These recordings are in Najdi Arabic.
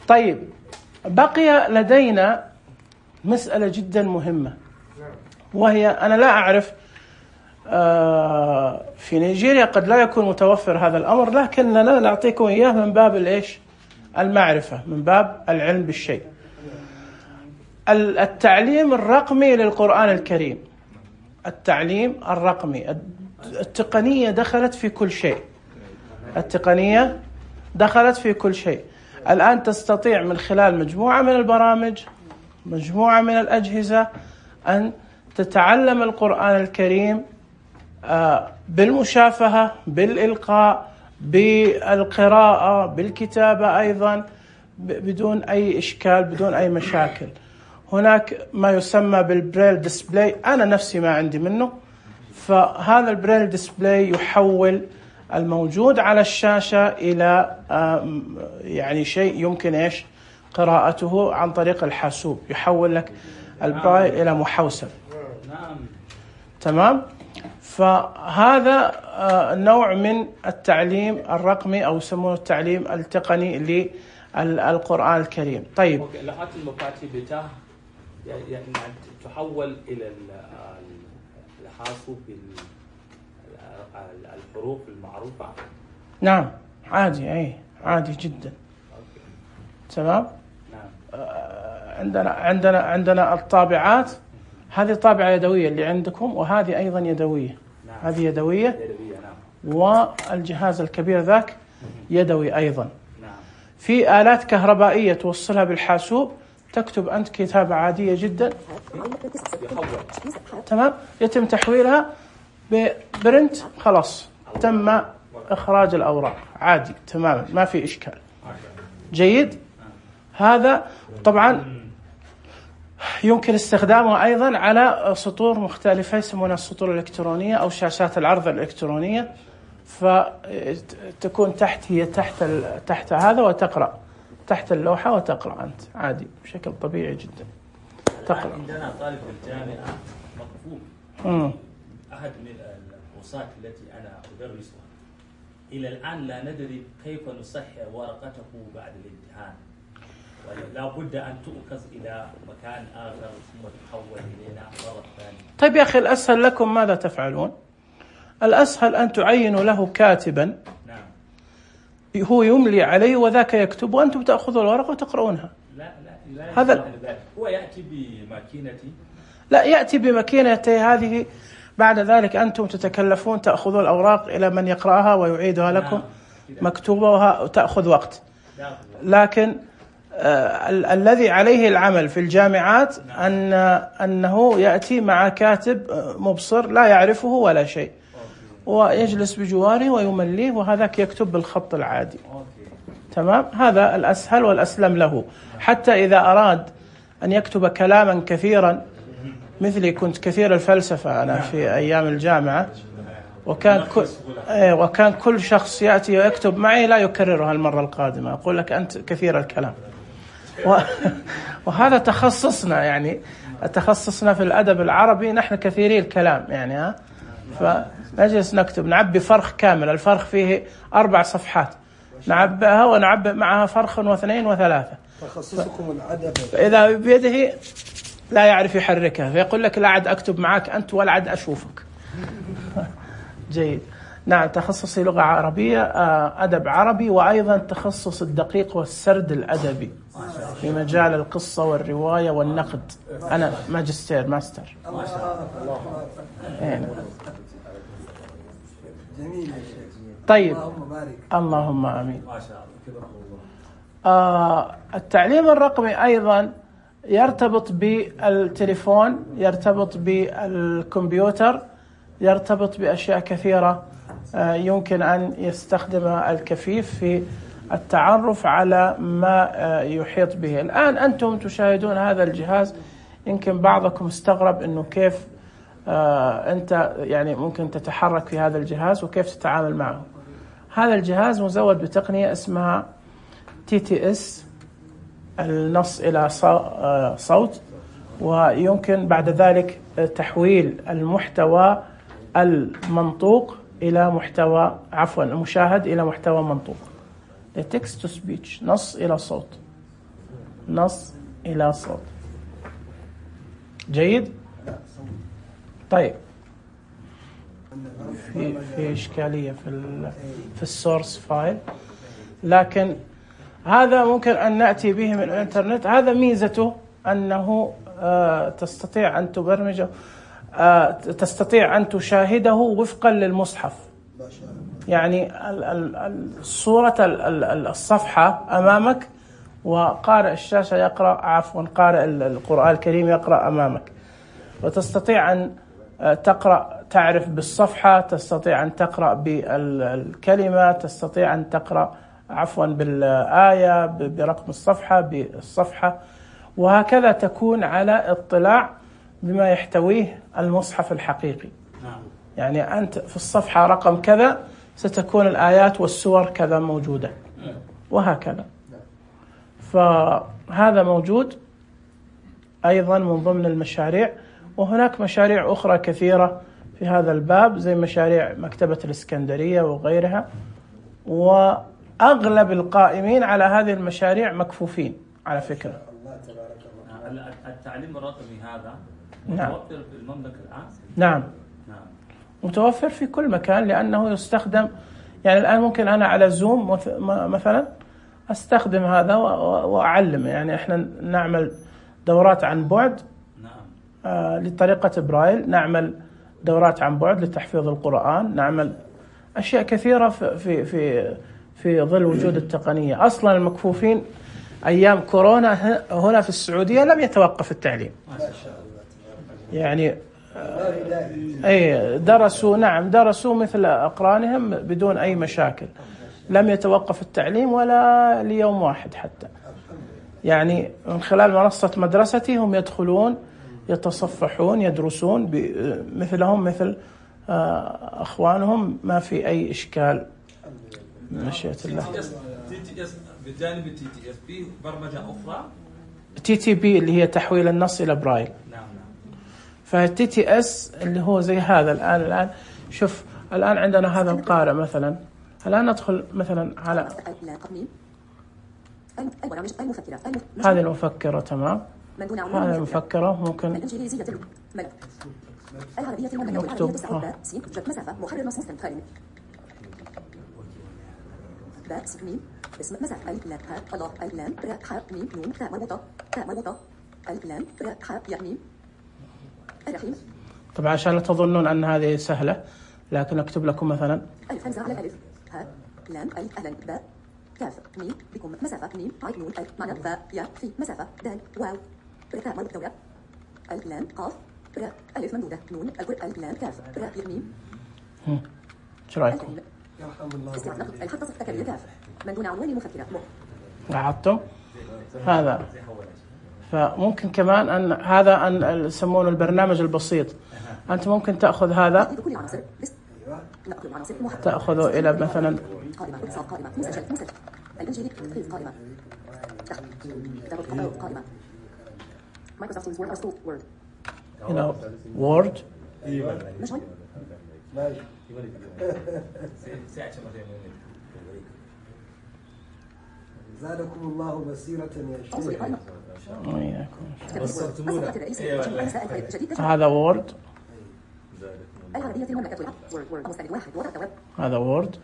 طيب، بقي لدينا مسألة جدا مهمة، وهي أنا لا أعرف في نيجيريا قد لا يكون متوفر هذا الأمر، لكننا نعطيكم إياه من باب الإيش؟ المعرفة، من باب العلم بالشيء. التعليم الرقمي للقرآن الكريم، التعليم الرقمي، التقنية دخلت في كل شيء، التقنية دخلت في كل شيء. الآن تستطيع من خلال مجموعة من البرامج، مجموعة من الأجهزة، أن تتعلم القرآن الكريم بالمشافهة، بالإلقاء، بالقراءة، بالكتابة أيضا، بدون أي إشكال، بدون أي مشاكل. هناك ما يسمى بالبريل ديسبلاي، أنا نفسي ما عندي منه، فهذا البريل ديسبلاي يحول الموجود على الشاشة إلى يعني شيء يمكن إيش قراءته عن طريق الحاسوب، يحول لك البرايل إلى محوسب. تمام؟ فهذا نوع من التعليم الرقمي، أو يسمونه التعليم التقني للقرآن الكريم. طيب، لغات المفاتيح بتاع يعني تحول إلى الحاسوب الحروف المعروفة. نعم، عادي، أي عادي جدا. تمام. عندنا الطابعات، هذه طابعة يدوية اللي عندكم، وهذه أيضا يدوية. هذه يدوية، والجهاز الكبير ذاك يدوي أيضا. في آلات كهربائية توصلها بالحاسوب، تكتب أنت كتابة عادية جدا، تمام، يتم تحويلها ببرنت، خلاص تم إخراج الأوراق عادي تماما، ما في إشكال. جيد. هذا طبعا يمكن استخدامه أيضا على سطور مختلفة يسمونها السطور الإلكترونية أو شاشات العرض الإلكترونية، فتكون هي تحت هذا، وتقرأ تحت اللوحة وتقرأ أنت عادي بشكل طبيعي جدا. تقرأ. عندنا طالب في الجامعة مقفول، أحد من الكورسات التي أنا أدرسها إلى الآن لا ندري كيف نصحح ورقته بعد الامتحان، ولا بد أن تؤخذ إلى مكان آخر ثم تحول إلينا مرة ثانية. طيب يا أخي، الأسهل لكم ماذا تفعلون؟ الأسهل أن تعينوا له كاتبا، هو يملي عليه وذاك يكتب، وأنتم تأخذوا الورقة وتقرؤونها. لا هذا هو يأتي بماكينتي. لا، يأتي بماكينته هذه، بعد ذلك أنتم تتكلفون تأخذون الأوراق إلى من يقرأها ويعيدها لكم مكتوبة، وتأخذ وقت. لكن الذي عليه العمل في الجامعات أنه يأتي مع كاتب مبصر لا يعرفه ولا شيء، ويجلس بجواره ويمليه، وهذاك يكتب بالخط العادي. تمام. هذا الأسهل والأسلم له، حتى إذا أراد أن يكتب كلاما كثيرا، مثلي كنت كثير الفلسفة أنا في أيام الجامعة، وكان كل شخص يأتي ويكتب معي لا يكررها المرة القادمة، أقول لك أنت كثير الكلام. وهذا تخصصنا، يعني تخصصنا في الأدب العربي، نحن كثيري الكلام يعني، فنجلس نكتب، نعبي فرخ كامل، الفرخ فيه 4 صفحات، نعبئها ونعبئ معها فرخ واثنين وثلاثة. تخصصكم الأدب. فإذا بيده لا يعرف يحركها، فيقول لك لا عد أكتب معك أنت ولا عد أشوفك. جيد. نعم، تخصصي لغة عربية، أدب عربي، وأيضا تخصص الدقيق والسرد الأدبي في مجال القصة والرواية والنقد. أنا ماستر. جميل. طيب، اللهم آمين. التعليم الرقمي أيضا يرتبط بالتليفون، يرتبط بالكمبيوتر، يرتبط بأشياء كثيرة يمكن أن يستخدمها الكفيف في التعرف على ما يحيط به. الآن أنتم تشاهدون هذا الجهاز، يمكن بعضكم استغرب أنه كيف أنت يعني ممكن تتحرك في هذا الجهاز وكيف تتعامل معه. هذا الجهاز مزود بتقنية اسمها TTS، النص إلى صوت، ويمكن بعد ذلك تحويل المحتوى المنطوق إلى محتوى، المشاهد إلى محتوى منطوق، text to speech، نص إلى صوت. نص إلى صوت. جيد. طيب في إشكالية في السورس فايل، لكن هذا ممكن أن نأتي به من الإنترنت. هذا ميزته أنه تستطيع أن تبرمجه، تستطيع أن تشاهده وفقا للمصحف. يعني صورة الصفحة أمامك، وقارئ الشاشة يقرأ، عفوا قارئ القرآن الكريم يقرأ أمامك، وتستطيع أن تقرأ، تعرف بالصفحة، تستطيع أن تقرأ بالكلمة، تستطيع أن تقرأ عفوا بالآية، برقم الصفحة، بالصفحة، وهكذا تكون على اطلاع بما يحتويه المصحف الحقيقي. يعني أنت في الصفحة رقم كذا ستكون الآيات والسور كذا موجودة، وهكذا. فهذا موجود أيضا من ضمن المشاريع. وهناك مشاريع أخرى كثيرة في هذا الباب، زي مشاريع مكتبة الإسكندرية وغيرها، وأغلب القائمين على هذه المشاريع مكفوفين على فكرة. التعليم الرقمي هذا متوفر في المملكة الآن؟ نعم متوفر في كل مكان، لأنه يستخدم. يعني الآن ممكن أنا على زوم مثلا أستخدم هذا وأعلم. يعني إحنا نعمل دورات عن بعد لطريقة برايل، نعمل دورات عن بعد لتحفيظ القرآن، نعمل أشياء كثيرة في ظل وجود التقنية. أصلا المكفوفين أيام كورونا هنا في السعودية لم يتوقف التعليم. يعني أي درسوا مثل أقرانهم بدون أي مشاكل، لم يتوقف التعليم ولا ليوم واحد حتى. يعني من خلال منصة مدرستي هم يدخلون، يتصفحون، يدرسون مثلهم مثل أخوانهم، ما في أي إشكال من مشيئة الله. بجانب TTS في برمجة أخرى، TTP اللي هي تحويل النص إلى برايل. فالTTS اللي هو زي هذا. الآن شوف، الآن عندنا هذا القارئ مثلا. الآن ندخل مثلا على هذه المفكرة، تمام. هذه المفكرة ممكن نكتب اسم مسافة الإعلام الله الإعلام راء ميم نون تاء مربوطة الإعلام راء ياء ميم الرحيم. طبعا عشان لا تظنون أن هذه سهلة، لكن أكتب لكم مثلا ألف همزة على الألف، ها لام ألف أهلا باء كاف ميم بكم مسافة ميم عين نون ألف معنى باء ياء في مسافة دال واو راء مربوطة دولة الإعلام قاف راء ألف ممدودة نون الإعلام كاف راء ياء ميم. شو رأيكم؟ الحق تصف تكرير كاف من دون عنوان مفكرة لاحظتم هذا. فممكن كمان أن هذا أن يسمونه البرنامج البسيط. أنت ممكن تأخذ هذا، تأخذه إلى مثلا إلى وورد. زادكم الله بصيرة يا شيخ. هذا وورد، هذا وورد.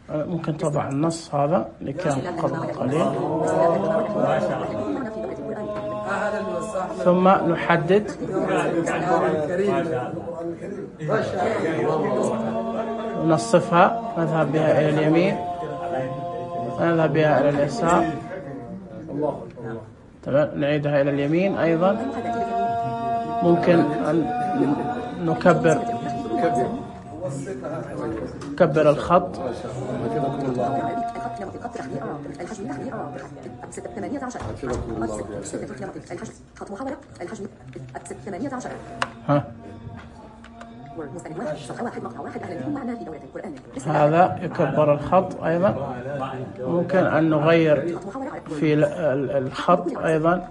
ممكن تضع النص هذا اللي كان قبل قليل، ثم نحدد ونصفها، نذهب بها إلى اليمين، نذهب بها إلى اليسار، تمام. نعيدها إلى اليمين أيضا. ممكن أن نكبر الخط. ها هذا يكبر الخط أيضا. ممكن أن نغير في الخط أيضا.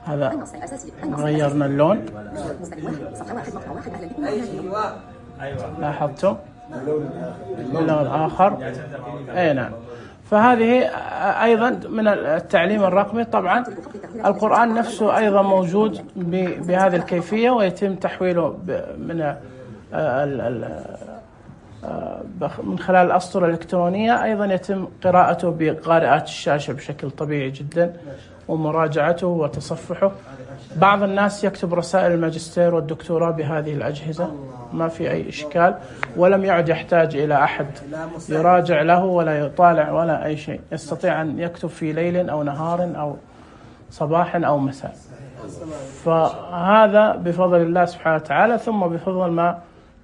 هذا غيرنا اللون، لاحظتم اللون آخر. أي نعم. فهذه أيضا من التعليم الرقمي. طبعا القرآن نفسه أيضا موجود بهذه الكيفية، ويتم تحويله من خلال الأسطر الإلكترونية. أيضا يتم قراءته بقارئات الشاشة بشكل طبيعي جدا، ومراجعته وتصفحه. بعض الناس يكتب رسائل الماجستير والدكتوراه بهذه الأجهزة، ما في أي إشكال، ولم يعد يحتاج إلى أحد يراجع له ولا يطالع ولا أي شيء. يستطيع أن يكتب في ليل أو نهار أو صباح أو مساء. فهذا بفضل الله سبحانه وتعالى، ثم بفضل ما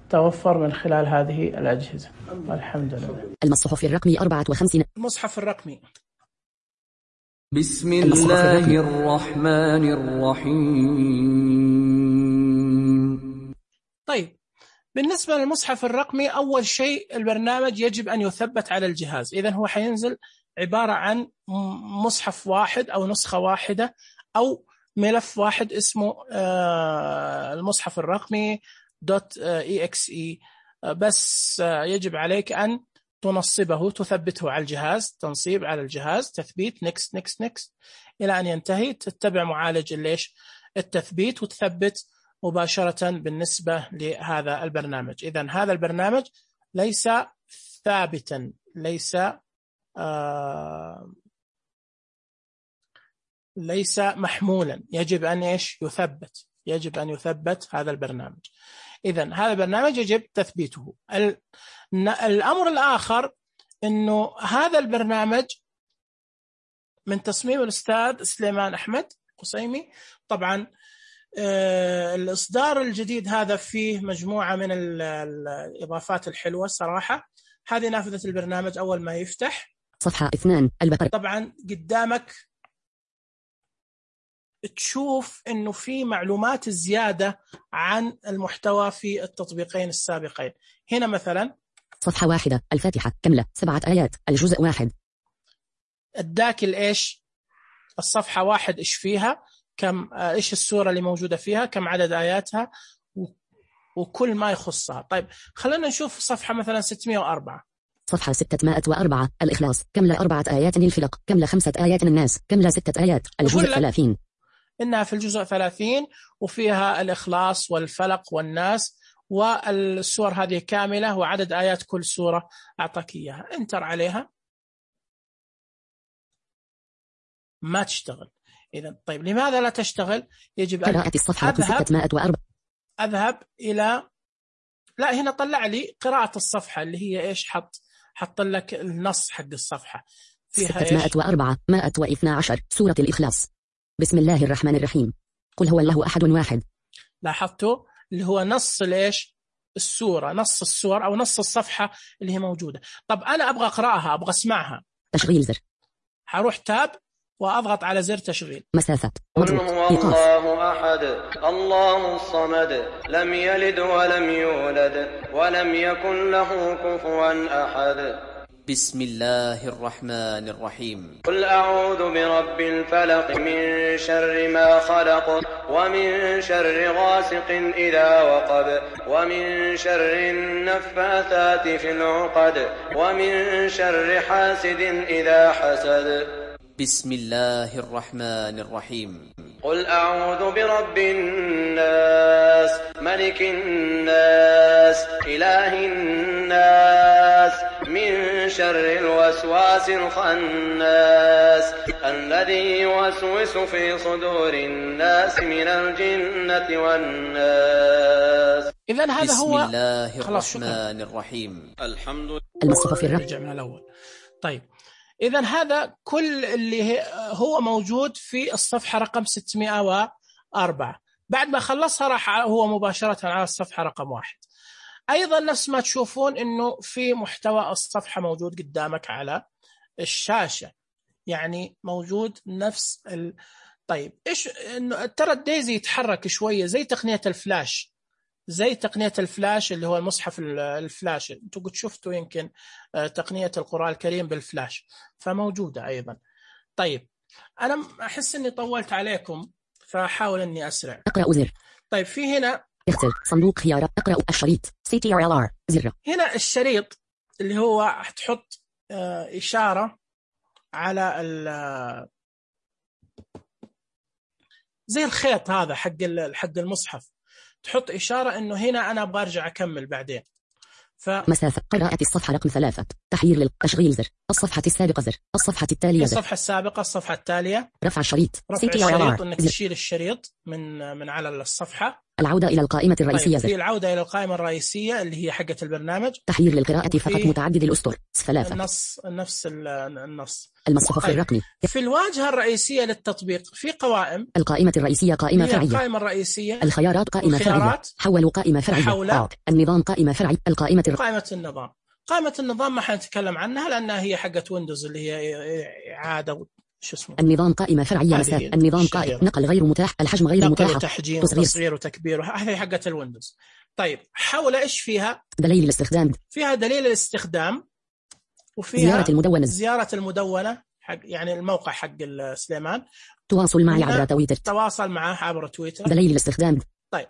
توفر من خلال هذه الأجهزة. الحمد لله. المصحف الرقمي 54. المصحف الرقمي. بسم الله الرحمن الرحيم. طيب، بالنسبة للمصحف الرقمي، أول شيء البرنامج يجب أن يثبت على الجهاز. إذن هو حينزل عبارة عن مصحف واحد أو نسخة واحدة أو ملف واحد اسمه المصحف الرقمي .exe. بس يجب عليك أن تنصبه، تثبته على الجهاز، تنصيب على الجهاز، تثبيت، نكست نكست نكست إلى أن ينتهي. تتبع معالج التثبيت وتثبت مباشرة بالنسبة لهذا البرنامج. إذن هذا البرنامج ليس ثابتا، ليس محمولا، يجب أن يثبت، يجب أن يثبت هذا البرنامج. إذن هذا البرنامج يجب تثبيته. الأمر الآخر أنه هذا البرنامج من تصميم الأستاذ سليمان أحمد قصيمي. طبعا الإصدار الجديد هذا فيه مجموعة من الإضافات الحلوة صراحة. هذه نافذة البرنامج أول ما يفتح، صفحة 2 البقرة. طبعا قدامك تشوف أنه في معلومات زيادة عن المحتوى في التطبيقين السابقين. هنا مثلا صفحة 1 الفاتحة كاملة 7 آيات الجزء 1. اداك الإيش الصفحة 1 إيش فيها، كم إيش السورة اللي موجودة فيها، كم عدد آياتها، وكل ما يخصها. طيب خلينا نشوف صفحة مثلا 604. صفحة 604 الإخلاص كاملة 4 آيات للفلق، كاملة 5 آيات للناس، كاملة 6 آيات الجزء 30. إنها في الجزء 30 وفيها الإخلاص والفلق والناس، والسور هذه كاملة وعدد آيات كل سورة أعطاك إياها. انتر عليها ما تشتغل. إذن طيب لماذا لا تشتغل؟ يجب أن قراءة الصفحة 604. أذهب إلى لا، هنا طلع لي قراءة الصفحة اللي هي إيش، حط لك النص حق الصفحة فيها 604 112 سورة الإخلاص. بسم الله الرحمن الرحيم. قل هو الله أحد واحد. لاحظتوا اللي هو نص ليش السورة، نص السور أو نص الصفحة اللي هي موجودة. طب أنا أبغى أقرأها، أبغى أسمعها. تشغيل زر. هروح تاب وأضغط على زر تشغيل. مسافة. قل هو الله أحد الله الصمد لم يلد ولم يولد ولم يكن له كفوا أحد. بسم الله الرحمن الرحيم. قل أعوذ برب الفلق من شر ما خلق ومن شر غاسق إذا وقب ومن شر النفاثات في العقد ومن شر حاسد إذا حسد. بسم الله الرحمن الرحيم. قل أعوذ برب الناس ملك الناس إله الناس من شر الوسواس الخناس الذي يوسوس في صدور الناس من الجنة والناس. إذن هذا هو بسم الله الرحمن الرحيم. الحمد لله. المصحف نرجع من الأول. طيب إذن هذا كل اللي هو موجود في الصفحة رقم 604. بعد ما خلصها راح هو مباشرة على الصفحة رقم 1. أيضا نفس ما تشوفون إنه في محتوى الصفحة موجود قدامك على الشاشة، يعني موجود نفس طيب إيش إنه ترى الديزي يتحرك شوية زي تقنية الفلاش، زي تقنية الفلاش اللي هو المصحف الفلاش. انتوا قد شفتوا يمكن تقنية القرآن الكريم بالفلاش، فموجودة أيضا. طيب أنا أحس أني طولت عليكم فأحاول أني أسرع. اقرأ زر. طيب في هنا اختر صندوق خيارات، اقرأ الشريط CTRLR زر. هنا الشريط اللي هو تحط إشارة على زي الخيط هذا حق المصحف، تحط إشارة إنه هنا أنا أبغى أرجع أكمل بعدين. مسافة قراءة الصفحة رقم 3 تحرير للتشغيل زر، الصفحة السابقة زر، الصفحة التالية زر، الصفحة السابقة، الصفحة التالية، رفع الشريط رفع الشريط CTRLR إنك تشيل الشريط من على الصفحة. العودة إلى القائمة الرئيسية طيب زر، في العودة إلى القائمة الرئيسية اللي هي حقة البرنامج، تحرير للقراءة فقط متعدد الأسطر 3 نفس النص. المصحف طيب. الرقمي في الواجهة الرئيسية للتطبيق في قوائم، القائمة الرئيسية قائمة فرعية، القائمة الرئيسية، الخيارات قائمة فرعية، حول قائمة فرعية، النظام قائمة فرعية، قائمة النظام. قائمة النظام ما حنتكلم عنها لأنها هي حقة ويندوز اللي هي إعادة شو اسمه. النظام قائمة فرعية مسافة، النظام قائمة نقل غير متاح، الحجم غير متاح، تحجيم وتصغير وتكبير، هذه حقة الويندوز. طيب حول إيش فيها؟ دليل الاستخدام، فيها دليل الاستخدام، وفيها زيارة المدونة حق يعني الموقع حق سليمان، تواصل معي عبر تويتر، تواصل معه عبر تويتر، دليل الاستخدام. طيب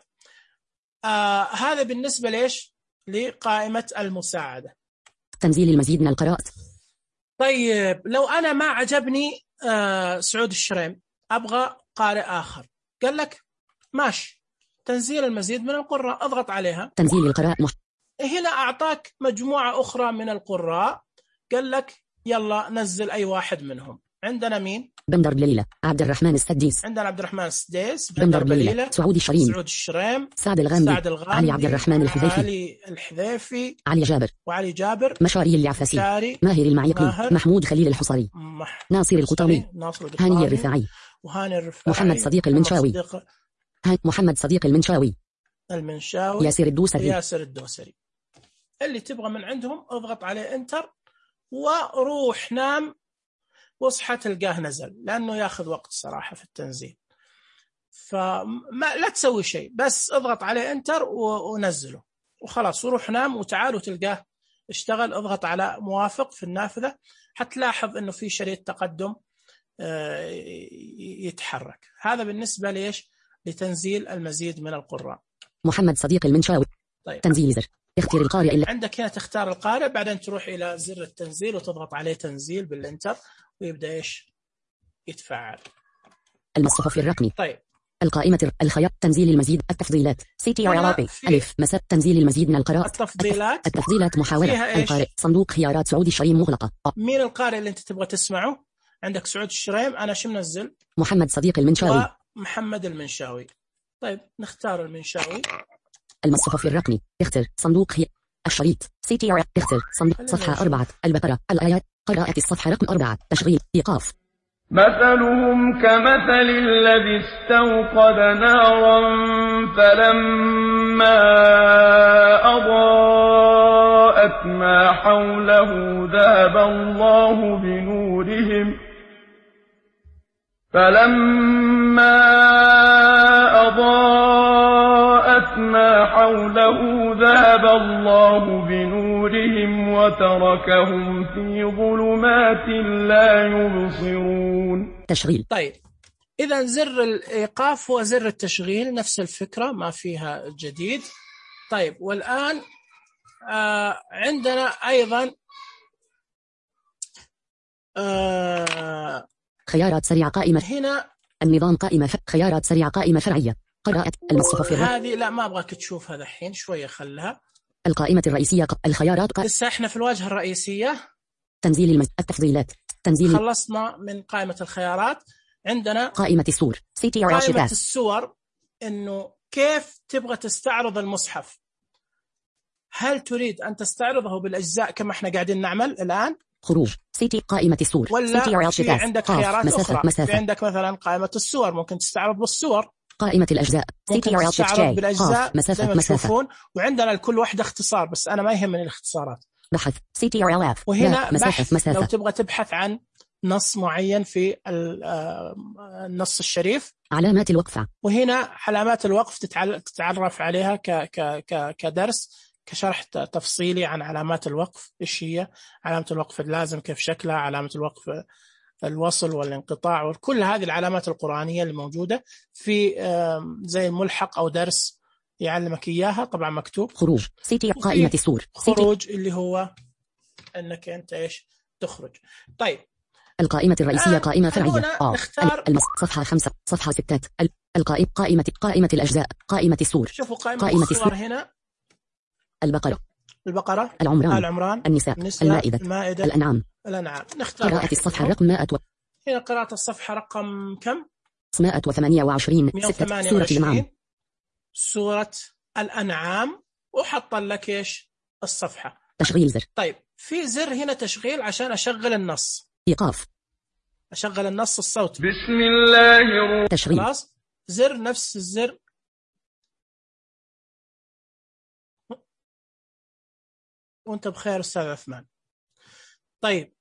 هذا بالنسبة ليش؟ لقائمة المساعدة، تنزيل المزيد من القراءات. طيب لو أنا ما عجبني سعود الشريم أبغى قارئ آخر، قال لك ماشي تنزيل المزيد من القراء، أضغط عليها تنزيل القراء هنا أعطاك مجموعة أخرى من القراء، قال لك يلا نزل أي واحد منهم. عندنا مين؟ بندر بليلة، عبد الرحمن السديس، عندنا عبد الرحمن السديس، بندر بليلة، سعود الشريم، سعد الغامدي، علي عبد الرحمن الحذيفي، علي جابر، مشاري اليعفسي، ماهر المعيقي، محمود خليل الحصري، ناصر القطامي، هاني الرفاعي، محمد صديق المنشاوي، محمد صديق المنشاوي، ياسر الدوسري. اللي تبغى من عندهم اضغط عليه انتر وروح نام واصحى تلقاه نزل، لأنه ياخذ وقت صراحة في التنزيل، فما لا تسوي شيء، بس اضغط عليه انتر ونزله وخلاص، وروح نام وتعال وتلقاه اشتغل. اضغط على موافق في النافذة حتلاحظ انه في شريط تقدم يتحرك. هذا بالنسبة ليش؟ لتنزيل المزيد من القراء. محمد صديق المنشاوي. طيب. تنزيل زر، اختيار القارئ اللي عندك هنا، تختار القارئ، بعدين تروح إلى زر التنزيل وتضغط عليه تنزيل بالإنتر ويبدأ إيش يتفعل. المصحف الرقمي. طيب القائمة الخيار تنزيل المزيد، التفضيلات CTRLR ألف مسافة تنزيل المزيد من القراءات، التفضيلات محاولة القارئ، صندوق خيارات سعود الشريم مغلقة. مين القارئ اللي أنت تبغى تسمعه؟ عندك سعود الشريم، أنا شو منزل؟ محمد صديق المنشاوي ومحمد المنشاوي. طيب نختار المنشاوي. المصحف الرقمي، اختر صندوق الشريط CTRL، اختر صندوق صفحة 4 البقرة، الآيات، قراءة الصفحة رقم 4 تشغيل إيقاف. مثلهم كمثل الذي استوقد نارا فلما أضاءت ما حوله ذهب الله بنورهم وتركهم في ظلمات لا يبصرون. تشغيل. طيب إذا زر الإيقاف هو زر التشغيل، نفس الفكرة ما فيها جديد. طيب والآن عندنا أيضا خيارات سريعة قائمة هنا، النظام قائمة خيارات سريعة قائمة فرعية، قراءة المصحف هذه لا ما أبغاك تشوفها الحين، شوية خلها. القائمة الرئيسية الخيارات لسه احنا في الواجهة الرئيسية. تنزيل التفضيلات، تنزيل. خلصنا من قائمة الخيارات. عندنا قائمة الصور قائمة الصور، إنه كيف تبغى تستعرض المصحف. هل تريد أن تستعرضه بالأجزاء كما احنا قاعدين نعمل الآن؟ خروج قائمة الصور، ولا في عندك خيارات أخرى. في عندك مثلا قائمة الصور ممكن تستعرض بالصور. قائمة الأجزاء CTRL بالأجزاء زي ما تشوفون، وعندنا لكل واحدة اختصار بس أنا ما يهمني الاختصارات. بحث CTRL F. وهنا بحث لو تبغى تبحث عن نص معين في النص الشريف. علامات الوقف. وهنا علامات الوقف تتعرف عليها كدرس كشرح تفصيلي عن علامات الوقف، إيش هي علامة الوقف اللازم، كيف شكلها، علامة الوقف الوصل والانقطاع، وكل هذه العلامات القرآنية اللي موجودة في زي الملحق أو درس يعلمك إياها. طبعا مكتوب خروج قائمة السور. خروج اللي هو أنك أنت إيش تخرج. طيب القائمة الرئيسية قائمة فرعية. نختار صفحة 5 صفحة 6 قائمة الأجزاء قائمة السور. شوفوا قائمة السور هنا البقرة العمران النساء المائدة الأنعام. نختار قراءة الصفحة رقم 100 هنا قراءة الصفحة رقم كم؟ 128 سورة الأنعام. سورة الأنعام. وحط لك إيش الصفحة. تشغيل زر. طيب في زر هنا تشغيل عشان أشغل النص. إيقاف. أشغل النص الصوتي. بسم الله تشغيل. خلاص زر نفس الزر. وانت بخير أستاذ عثمان. طيب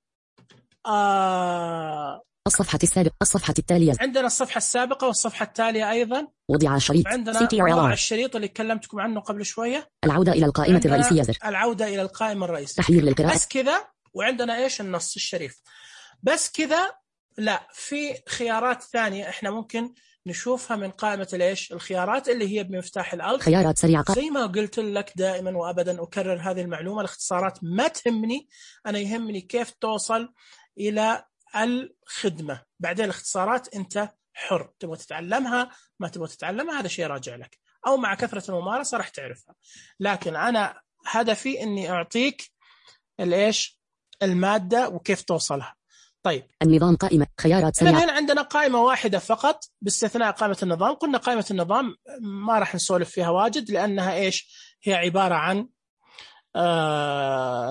الصفحة السابقة الصفحة التالية. عندنا الصفحة السابقة والصفحة التالية أيضا. وضع الشريط. عندنا وضع الشريط اللي كلمتكم عنه قبل شوية. العودة إلى القائمة الرئيسية زر. العودة إلى القائمة الرئيسية. تحرير للقراءة. بس كذا. وعندنا إيش النص الشريف. بس كذا لا، في خيارات ثانية إحنا ممكن نشوفها من قائمة الإيش الخيارات اللي هي بمفتاح الألف. خيارات سريعة. زي ما قلت لك دائما وأبدا أكرر هذه المعلومة، الاختصارات ما تهمني، أنا يهمني كيف توصل إلى الخدمة. بعدين الاختصارات أنت حر، تبغى تتعلمها ما تبغى تتعلمها هذا شيء راجع لك، أو مع كثرة الممارسة راح تعرفها. لكن أنا هدفي إني أعطيك الإيش المادة وكيف توصلها. طيب النظام قائمة خيارات سريعة. هنا عندنا قائمة واحدة فقط باستثناء قائمة النظام. قلنا قائمة النظام ما راح نسولف فيها واجد لأنها إيش هي عبارة عن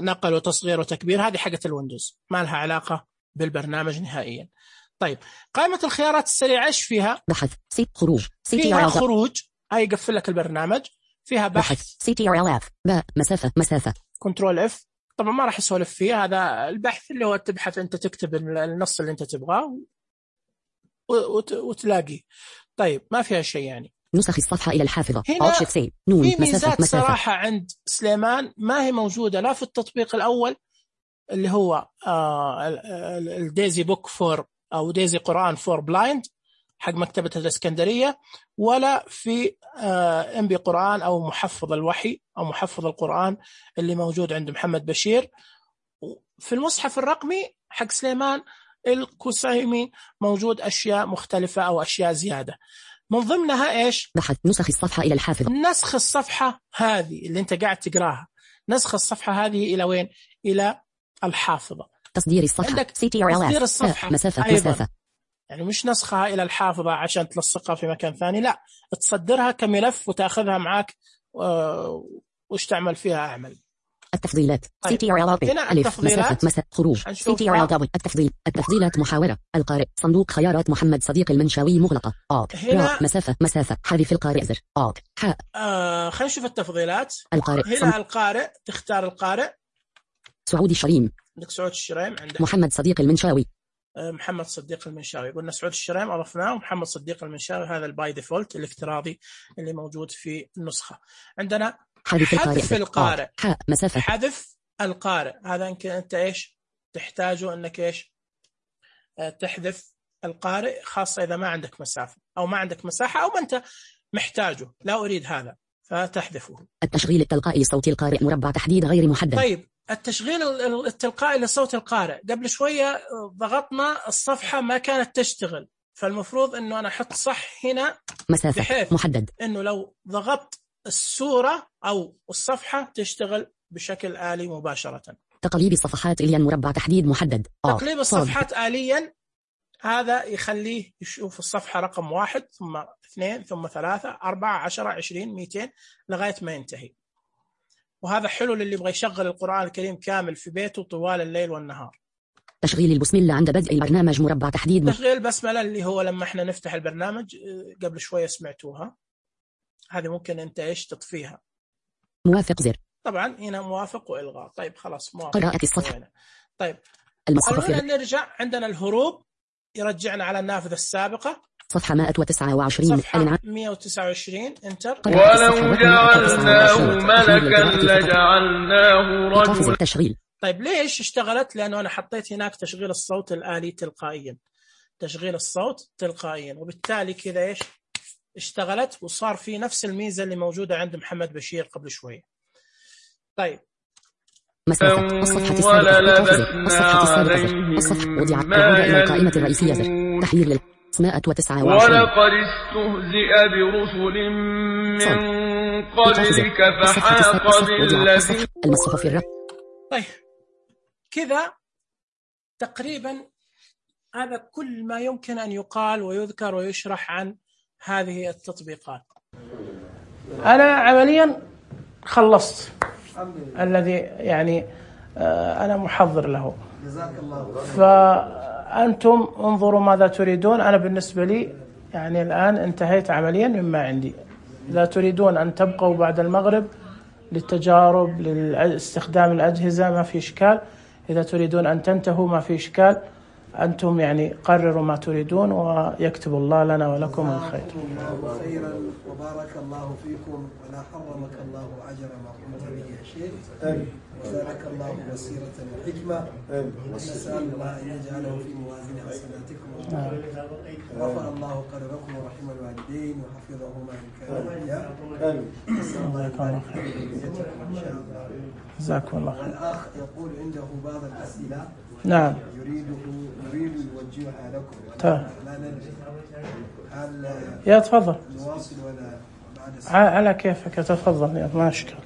نقل وتصغير وتكبير، هذه حقة الويندوز ما لها علاقة بالبرنامج نهائيا. طيب قائمة الخيارات السريعة إيش فيها؟ بحث خروج فيها خروج هاي يقفل لك البرنامج. فيها بحث CTRL F مسافة كنترول F. طبعا ما راح اسولف فيه، هذا البحث اللي هو تبحث انت تكتب النص اللي انت تبغاه وتلاقيه. طيب ما فيها شيء يعني. نسخ الصفحة إلى الحافظة. هنا في ميزات صراحة عند سليمان ما هي موجودة لا في التطبيق الأول اللي هو الديزي بوك فور أو ديزي قرآن فور بلايند حق مكتبة الإسكندرية، ولا في MB قرآن أو محفظ الوحي أو محفظ القرآن اللي موجود عند محمد بشير. في المصحف الرقمي حق سليمان الكسيمي موجود أشياء مختلفة أو أشياء زيادة، من ضمنها إيش؟ بحث نسخ الصفحة إلى الحافظة. نسخ الصفحة هذه اللي أنت قاعد تقراها، نسخ الصفحة هذه إلى وين؟ إلى الحافظة. تصدير الصفحة تصدير الصفحة مسافة يعني مش نسخها إلى الحافظة عشان تلصقها في مكان ثاني، لا تصدرها كملف وتأخذها معك وش تعمل فيها أعمل. التفضيلات CTRL ألف مسافة خروج CTRL التفضيلات محاورة القارئ صندوق خيارات محمد صديق المنشاوي مغلقة هنا مسافة حذف القارئ زر خلينا نشوف التفضيلات. القارئ هنا القارئ تختار القارئ. سعود الشريم عندك سعود الشريم، عندك محمد صديق المنشاوي. محمد صديق المنشاوي قلنا سعود الشريم أضفناه، ومحمد صديق المنشاوي هذا الباي ديفولت الافتراضي اللي موجود في النسخة. عندنا حذف القارئ مسافة حذف القارئ، هذا يمكن أنت إيش تحتاجه أنك إيش تحذف القارئ، خاصة إذا ما عندك مسافة أو ما عندك مساحة أو ما أنت محتاجه، لا أريد هذا فتحذفه. التشغيل التلقائي لصوت القارئ مربع تحديد غير محدد. طيب التشغيل التلقائي لصوت القارئ، قبل شوية ضغطنا الصفحة ما كانت تشتغل، فالمفروض أنه أنا أحط صح هنا مسافة بحيث محدد أنه لو ضغطت السورة أو الصفحة تشتغل بشكل آلي مباشرة. تقليب الصفحات إليا مربع تحديد محدد. تقليب الصفحات آليا هذا يخليه يشوف الصفحة رقم 1 ثم 2 ثم 3 4 10 20 200 لغاية ما ينتهي. وهذا حلو للي يبغى يشغل القرآن الكريم كامل في بيته طوال الليل والنهار. تشغيل البسملة عند بدء البرنامج مربع تحديد. تشغيل البسملة اللي هو لما احنا نفتح البرنامج قبل شوية سمعتوها، هذه ممكن انت ايش تطفيها. موافق زر. طبعا هنا موافق وإلغاء. طيب خلاص موافق. قراءة الصفحة. طيب خلونا نرجع. عندنا الهروب يرجعنا على النافذة السابقة. صفحة 129. صفحة 129 انتر. ولو جعلناه ملكا لجعلناه رجلا. تشغيل. طيب ليش اشتغلت؟ لأنه أنا حطيت هناك تشغيل الصوت الآلي تلقائيا، تشغيل الصوت تلقائيا، وبالتالي كذا ايش اشتغلت، وصار في نفس الميزة اللي موجودة عند محمد بشير قبل شوية. طيب مسافة الصفحة السابقة. الصفحة وضع إلى القائمة الرئيسية. تحرير 129. ولقد استهزئ برسل من قبلك فحاق بالذين. المصحف الرب. طيب كذا تقريبا هذا كل ما يمكن أن يقال ويذكر ويشرح عن هذه التطبيقات. أنا عمليا خلصت الذي يعني أنا محضر له. فأنتم انظروا ماذا تريدون. أنا بالنسبة لي يعني الآن انتهيت عمليا مما عندي. إذا تريدون أن تبقوا بعد المغرب للتجارب لاستخدام الأجهزة ما في إشكال. إذا تريدون أن تنتهوا ما في إشكال. أنتم يعني قرروا ما تريدون ويكتب الله لنا ولكم الخير. الله خيرا وبارك الله فيكم ولا حرمك الله أجر ما قمت به يا شيخ. وزادك الله بصيرة وحكمة. ونسأل الله أن يجعله في موازين حسناتكم. ورفع الله قدركم ورحم الوالدين وحفظهما إن كانوا أحياء. نسأل الله يبارك فيكم إن شاء الله. جزاكم الله خير. والأخ يقول عنده بعض الأسئلة. نعم. يريد يوجهها لكم. لا ندري هل يا تفضل نواصل ولا بعد على كيفك. تفضل يا ما أشكال.